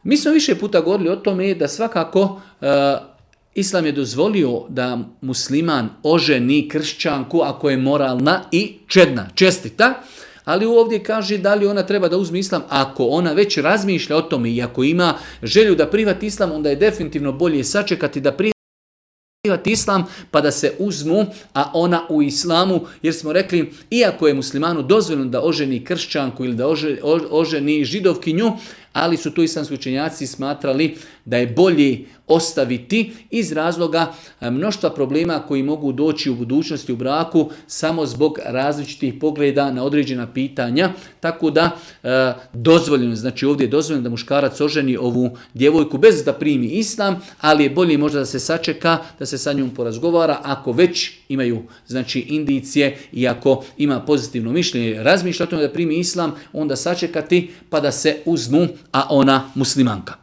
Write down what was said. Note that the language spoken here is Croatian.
Mi smo više puta govorili o tome da svakako Islam je dozvolio da musliman oženi kršćanku ako je moralna i čedna, čestita, ali ovdje kaže da li ona treba da uzme Islam. Ako ona već razmišlja o tome i ako ima želju da prihvati Islam, onda je definitivno bolje sačekati da prihvati Islam pa da se uzmu, a ona u Islamu, jer smo rekli, iako je muslimanu dozvoljeno da oženi kršćanku ili da oženi židovkinju, ali su tu islamski učenjaci smatrali da je bolje ostaviti iz razloga mnoštva problema koji mogu doći u budućnosti u braku samo zbog različitih pogleda na određena pitanja. Tako da dozvoljeno, znači ovdje je dozvoljeno da muškarac oženi ovu djevojku bez da primi Islam, ali je bolje možda da se sačeka, da se sa njom porazgovara ako već imaju znači indicije i ako ima pozitivno mišljenje, razmišlja o tome da primi Islam, onda sačekati pa da se uzmu, a ona muslimanka.